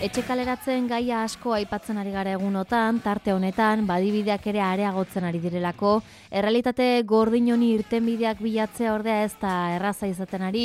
Etxe kaleratzen gaia asko aipatzen ari gara egunotan, tarte honetan, badibideak ere areagotzen ari direlako, errealitate gordin honi irtenbideak bilatzea ordea ez da erraza izaten ari,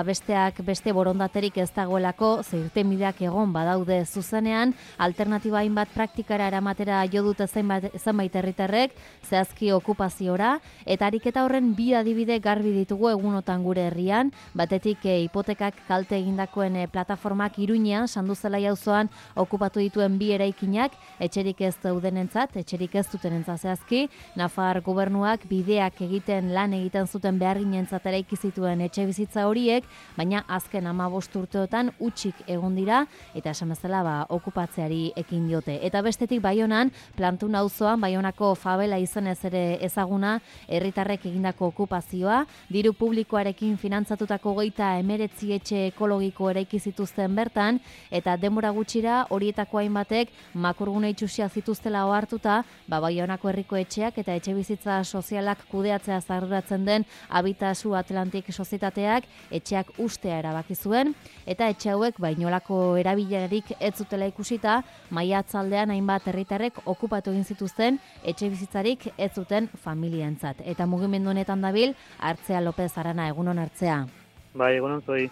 besteak beste borondaterik ez dagoelako, ze irtenbideak egon badaude zuzenean, alternatiba hainbat praktikara eramatera jo dute zenbait herritarrek, zehazki okupaziora, eta ariketa horren bi adibide garbi ditugu egunotan gure herrian, batetik hipotekak kalte egindakoen plataformak Iruñean, Sanduzelaia auzoan okupatu dituen bi eraikinak, etxerik ez daudenentzat, etxerik ez dutenentzat zehazki, Nafar gobernuak bideak lan egiten zuten beharginentzat eraiki zituen etxe bizitza horiek, baina azken 15 urteotan hutsik egon dira, eta esan bezala okupatzeari ekin diote. Eta bestetik Baionan, Plantun auzoan, Baionako favela izenez ere ezaguna, herritarrek egindako okupazioa, diru publikoarekin finantzatutako 39 etxe ekologiko eraiki zituzten bertan, eta denbora gutxira horietako hainbatek makurgune itxusia zituztela ohartuta, Baionako herriko etxeak eta etxe bizitza sozialak kudeatzea arduratzen den Habitasu Atlantik sozietateak etxeak ustea erabaki zuen, eta etxe hauek inolako erabilerarik ez zutela ikusita, maiatzaldean hainbat herritarrek okupatu egin zituzten etxe bizitzarik ez zuten familientzat. Eta mugimendu honetan dabil Artzea López Arana, egunon Artzea. Bai, egunon zoi.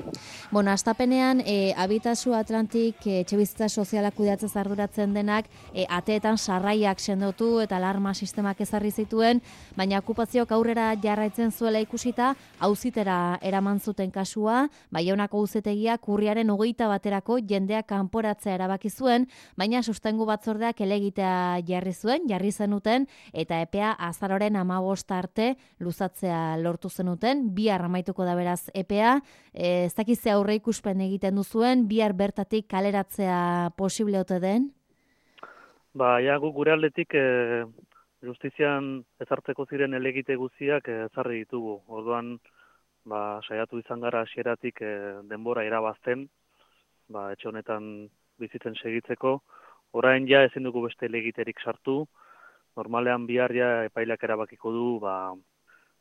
Bueno, astapenean, Habitasu Atlantik etxebizitza sozialak kudeatzez arduratzen denak, ateetan sarraiak sendotu eta alarma sistemak ezarri zituen, baina okupazioak aurrera jarraitzen zuela ikusita, auzitera eraman zuten kasua, Baionako auzitegiak urriaren 21 jendeak kanporatzea erabaki zuen, baina sustengu batzordeak helegitea jarri zenuten, eta epea azaroren 15 arte luzatzea lortu zenuten, bihar amaituko da beraz epea. Ez dakizte aurre ikuspen egiten duzuen, bihar bertatik kaleratzea posible ote den? Guk gure aldetik justizian ezartzeko ziren helegite guztiak ezarri ditugu. Orduan, saiatu izan gara hasieratik denbora irabazten, etxe honetan bizitzen segitzeko. Orain ezin dugu beste helegiterik sartu. Normalean bihar epaileak erabakiko du,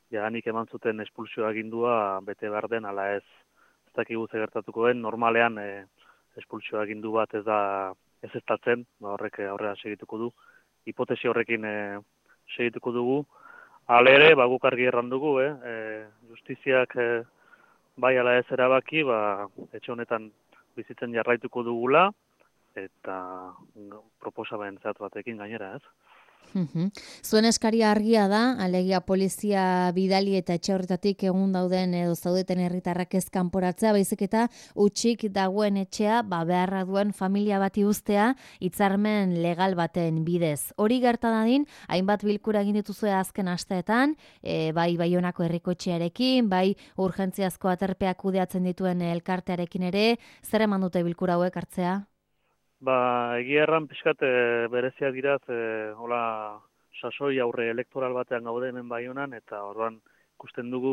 jadanik eman zuten espulsio agindua bete behar den, ala ez dakigu ze gertatuko den. Normalean espulsio agindu bat ez estatzen, horrek aurrera segituko du. Hipotesi horrekin segituko dugu. Hala ere, guk argi erran dugu, justiziak bai ala ez erabaki, etxe honetan bizitzen jarraituko dugula, eta proposamen zehatz batekin gainera, ez? Zuen eskaria argia da, alegia polizia bidali eta etxe horretatik egun dauden edo zaudeten herritarrak ez kanporatzea, baizik eta hutsik dagoen etxea beharra duen familia bati uztea hitzarmen legal baten bidez. Hori gerta dadin, hainbat bilkura egin dituzue azken asteetan, bai Baionako herriko etxearekin, bai urgentziazko aterpeak kudeatzen dituen elkartearekin ere, zer eman dute bilkura hauek Artzea? Egia erran pixkat bereziak diraz, sasoi aurre elektoral batean gaude hemen Baionan, eta orduan ikusten dugu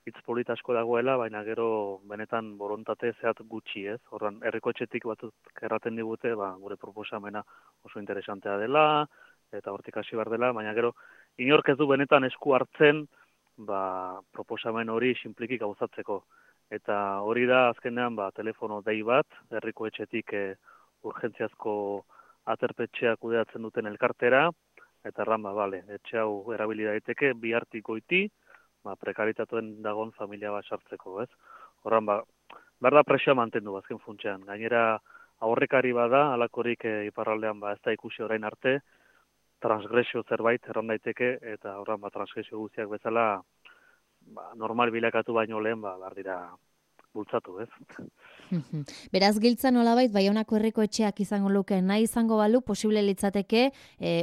hitz polit asko dagoela, baina gero benetan borontate zehat gutxi, ez? Orduan herriko etxetik batzuk erraten digute, gure proposamena oso interesantea dela, eta hortik hasi behar dela, baina gero inork ez du benetan esku hartzen, proposamen hori sinpliki gauzatzeko. Eta hori da azkenean telefono dei bat, herriko etxetik urgentziazko aterpetxea kudeatzen duten elkartera, eta erran, etxe hau erabili daiteke, bihartik goiti, prekaritatuen dagon familia bat sartzeko, ez? Horran, behar da presioa mantendu azken funtsean. Gainera, aurrekari bada, alakorik iparraldean ez da ikusi orain arte, transgresio zerbait erran daiteke, eta horran, transgresio guztiak bezala, normal bilakatu baino lehen, behar dira bultzatu, ez? Beraz, giltza nolabait, Baionako herriko etxeak izango luke, nahi izango balu, posible litzateke,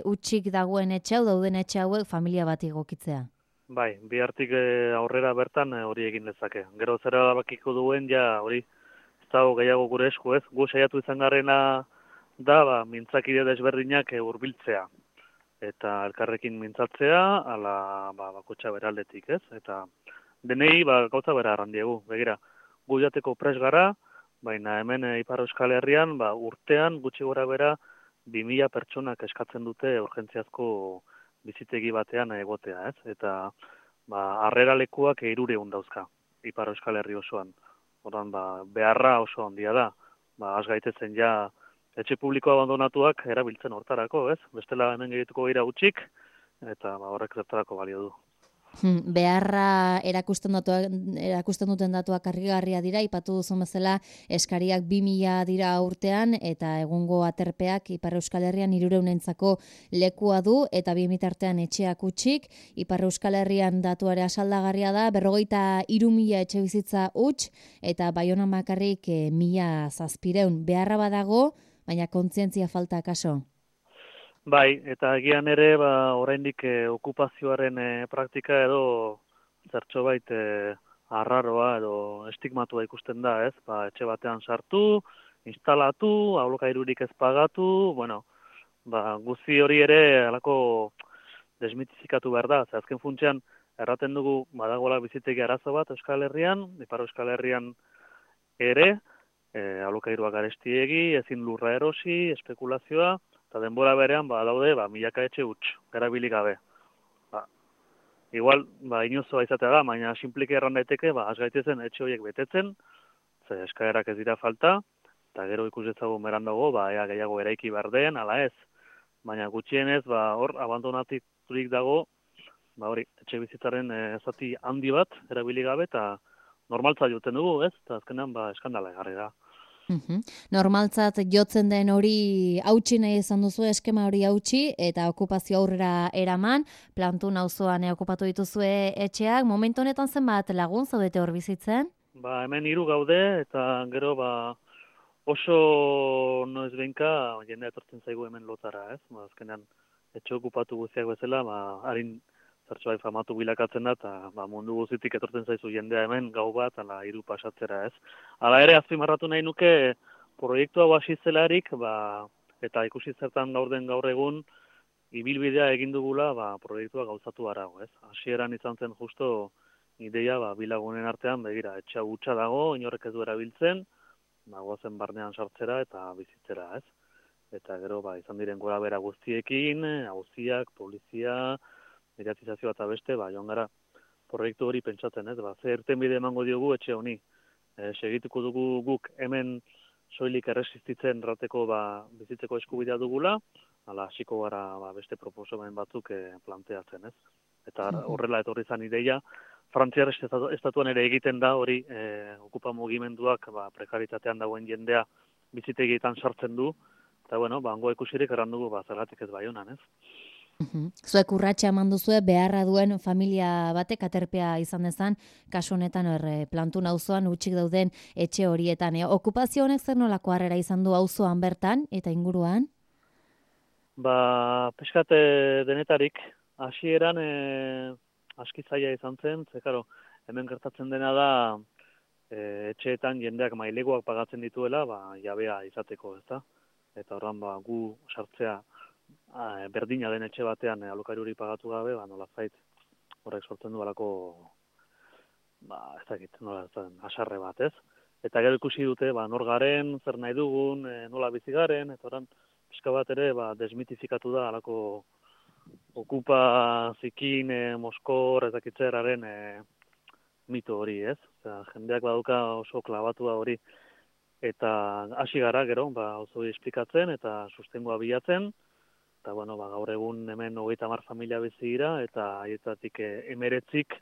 hutsik dagoen etxe hau, dauden etxe hauek familia bat egokitzea. Bihartik aurrera bertan hori egin lezake. Gero zera bakiko duen, hori ez dago gehiago gure esku, ez? Gu saiatu izan garrena da, mintzakide desberdinak hurbiltzea. Eta elkarrekin mintzatzea, ala bakotxa beraldetik, ez? Eta denei gauza bera arrandiegu, begira. Gu jateko pres gara, baina hemen Ipar Euskal Herrian, urtean gutxi gora bera 2000 pertsonak eskatzen dute urgentziazko bizitegi batean egotea, ez? Eta harrera lekuak 300 dauzka Ipar Euskal Herri osoan. Ordan beharra oso handia da. has gaitezen ja etxe publiko abandonatuak erabiltzen hortarako, ez? Bestela hemen gerituko gira utxik, eta horrek zertarako balio du. Beharra erakusten duten datuak argigarria dira, ipatu duzun bezala eskariak 2000 dira urtean, eta egungo aterpeak Ipar Euskal Herrian 300entzako lekua du, eta 2000 artean etxeak utxik. Ipar Euskal Herrian datuare asaldagarria da, 43.000 etxe bizitza huts, eta Baionan bakarrik 1.700. Beharra badago, baina kontzientzia falta kaso. Bai, eta egian ere, oraindik okupazioaren praktika edo zertxobait arraroa edo estigmatua ikusten da, ez? Etxe batean sartu, instalatu, alokairurik ez pagatu, guzti hori ere alako desmitifikatu behar da. Azken funtsean, erraten dugu badagoela bizitegi arazo bat Euskal Herrian, Ipar Euskal Herrian ere, alokairuak garestiegi, ezin lurra erosi, espekulazioa, eta denbora berean, daude, milaka etxe huts, erabili gabe. Igual, inozoa izatea da, baina simplike erran daiteke, has gaitezen etxe horiek betetzen, ze eskaerak ez dira falta, eta gero ikusetzagun beran dago, ea gehiago eraiki behar den, ala ez. Baina gutxienez, hor, abandonaturik dago, etxe bizitzaren zati handi bat, erabili gabe, eta normaltza joten dugu, ez? Eta azkenean, eskandala egarri da. Normaltzat jotzen den hori hautsi nahi izan duzu, eskema hori hautsi, eta okupazio aurrera eraman, Plantun auzoan okupatu dituzue etxeak. Momentu honetan zenbat lagun zaudete hor bizitzen? Hemen 3 gaude, eta gero oso noiz behinka jendea etortzen zaigu hemen lotara, ez? Azkenean etxe okupatu guztiak bezala, harin zertxoai famatu bilakatzen da, eta mundu guztitik etortzen zaizu jendea hemen gau bat, ala 3 pasatzera, ez? Hala ere, azpimarratu nahi nuke, proiektu hau hasi zelarik, eta ikusi zertan gaur egun, ibilbidea egin dugula, proiektua gauzatu arago, ez? Hasieran izan zen justo ideia, bilagunen artean, begira, etxe hutsa dago, inorrek ez du erabiltzen, goazen barnean sartzera eta bizitzera, ez? Eta gero, izan diren gora bera guztiekin, auziak, polizia, mediatizazioa eta beste, joan gara proiektu hori pentsatzen, ez? Ze irtenbide emango diogu etxe honi. Segituko dugu guk hemen soilik erresistitzen rateko bizitzeko eskubidea dugula, ala hasiko gara beste proposamen batzuk planteatzen, ez? Eta horrela etorri zan ideia, Frantziar estatuan ere egiten da hori okupa mugimenduak prekaritatean dagoen jendea bizitegietan sartzen du, eta hango ikusirik erran dugu zergatik ez Baionan, ez? Zuek urratsa eman duzue beharra duen familia batek aterpea izan dezan, kasu honetan Plantun auzoan utxik dauden etxe horietan. Okupazio honek zer nolako harrera izan du auzoan bertan eta inguruan? Peskate denetarik, hasieran aski zaila izan zen, hemen gertatzen dena da etxeetan jendeak maileguak pagatzen dituela, jabea izateko, ezta? Eta horran gu sartzea berdina den etxe batean alokairuri pagatu gabe, nolazait horrek sortzen du alako, ez dakit, asarre bat, ez? Eta gero ikusi dute, nor garen, zer nahi dugun, nola bizi garen, eta horran pixka bat ere desmitifikatu da alako okupa zikin, moskor, ez dakitzeraren mito hori, ez? Jendeak baduka oso klabatua hori, eta hasi gara gero, oso esplikatzen eta sustengoa bilatzen, eta gaur egun hemen 30 familia bizi dira, eta haietatik 19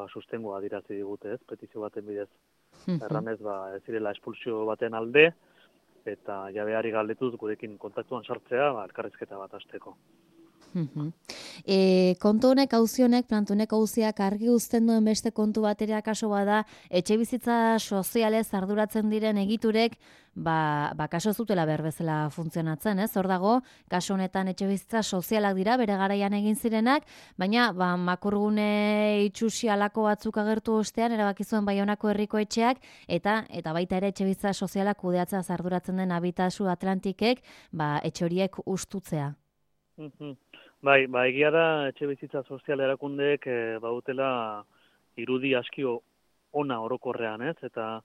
sustengoa adirazi digute, ez? Petizio baten bidez. Erranez, ez direla espulsio baten alde, eta jabeari galdetuz gurekin kontaktuan sartzea, elkarrizketa bat hasteko. Kontu honek, auzi honek, Plantunek auziak argi uzten duen beste kontu bat ere akaso bada, etxe bizitza sozialez arduratzen diren egiturek, kaso zutela behar bezala funtzionatzen, ez? Hor dago, kaso honetan etxe bizitza sozialak dira, bere garaian egin zirenak, baina makurgune itxusi alako batzuk agertu ostean, erabakizuen Baionako herriko etxeak, eta baita ere etxe bizitza sozialak kudeatzea arduratzen den Habitasu Atlantikek, etxe horiek ustutzea. Egia da, etxe bizitza sozial erakundeek bautela irudi aski ona orokorrean, ez? Eta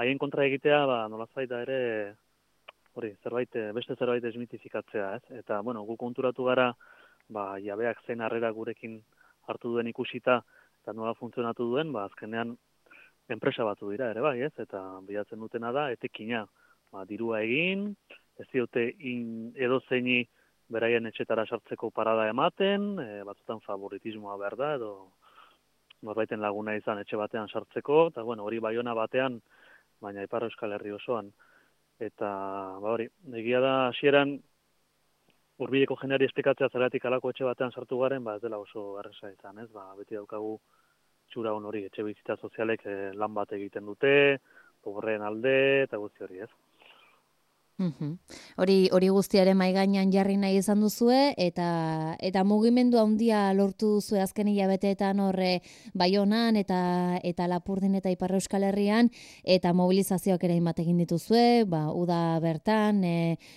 haien kontra egitea, nolazait da ere, beste zerbait desmitifikatzea, ez? Eta, gu konturatu gara, jabeak zen harrera gurekin hartu duen ikusita, eta nola funtzionatu duen, azkenean enpresa batu dira ere bai, ez? Eta bilatzen dutena da, etekina. dirua egin, ez diote edozeini beraien etxetara sartzeko parada ematen, batzutan favoritismoa behar da, edo norbaiten laguna izan etxe batean sartzeko, eta hori Baiona batean, baina Ipar Euskal Herri osoan. Eta, hori, egia da, hasieran hurbileko jendeari esplikatzea zergatik alako etxe batean sartu garen, ez dela oso erresa izan, ez? Beti daukagu txura hori, etxe bizitza sozialek lan bat egiten dute, pobreen alde, eta guzti hori, ez? Hori guztiaren mahai gainean jarri nahi izan duzue, eta mugimendu handia lortu duzue azken hilabeteetan horre Baionan eta Lapurdin eta Ipar Euskal Herrian, eta mobilizazioak ere hainbat egin dituzue, uda bertan,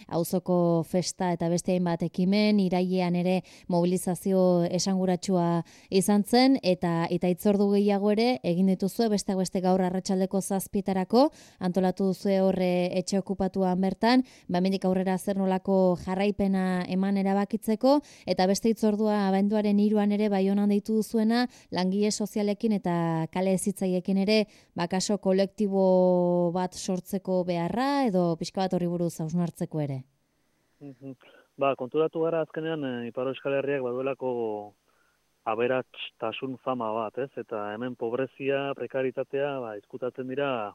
auzoko festa eta beste hainbat ekimen, irailean ere mobilizazio esanguratsua izan zen, eta hitzordu gehiago ere egin dituzue, besteak beste gaur arratsaldeko 7:00 antolatu duzue horre etxe okupatuan bertan, hemendik aurrera zer nolako jarraipena eman erabakitzeko, eta beste hitzordua abenduaren 3 ere Baionan deitu duzuena, langile sozialekin eta kale hezitzaiekin ere, kaso kolektibo bat sortzeko beharra, edo pixka bat horri buruz hausnartzeko ere. Konturatu gara azkenean Ipar Euskal Herriak baduelako aberatstasun fama bat, ez? Eta hemen pobrezia, prekaritatea, izkutatzen dira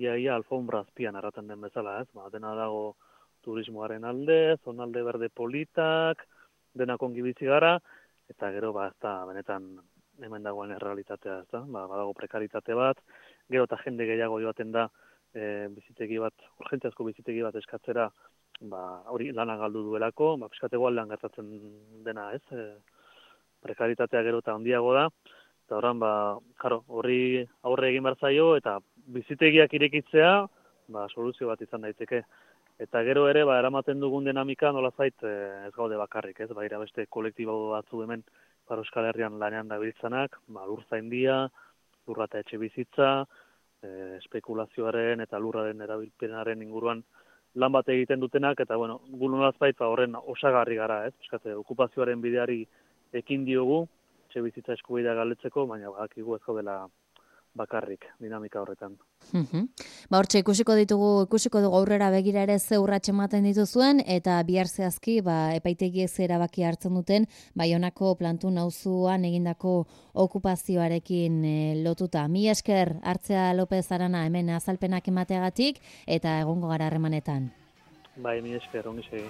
ia alfombra azpian erraten den bezala, ez? Dena dago turismoaren alde, zonalde berde politak, denak ongi bizi gara, eta gero, ez da, benetan hemen dagoen errealitatea, ez da? Badago prekaritate bat, gero eta jende gehiago joaten da bizitegi bat, urgentziazko bizitegi bat eskatzera, hori lana galdu duelako, piskatego aldean gertatzen dena, ez? Prekaritatea gero eta handiago da, eta horren, horri aurre egin behar zaio, eta bizitegiak irekitzea, soluzio bat izan daiteke. Eta gero ere, eramaten dugun dinamika nolazait ez gaude bakarrik, ez? Baira beste kolektibo batzu hemen Ipar Euskal Herrian lanean dabiltzanak, lurzaindia, lurra eta etxe bizitza, espekulazioaren eta lurraren erabilpenaren inguruan lan bat egiten dutenak, eta gu nolazait horren osagarri gara, ez? Piskate, okupazioaren bideari ekin diogu, etxe bizitza eskubidea galdetzeko, baina badakigu ez gaudela bakarrik dinamika horretan. Hortxe ikusiko dugu aurrera begira ere ze urrats ematen dituzuen, eta bihar zehazki epaitegiek ze erabaki hartzen duten Baionako Plantun auzoan egindako okupazioarekin lotuta. Mila esker Artzea Lopez Arana hemen azalpenak emateagatik, eta egongo gara harremanetan. Mila esker, ongi segi.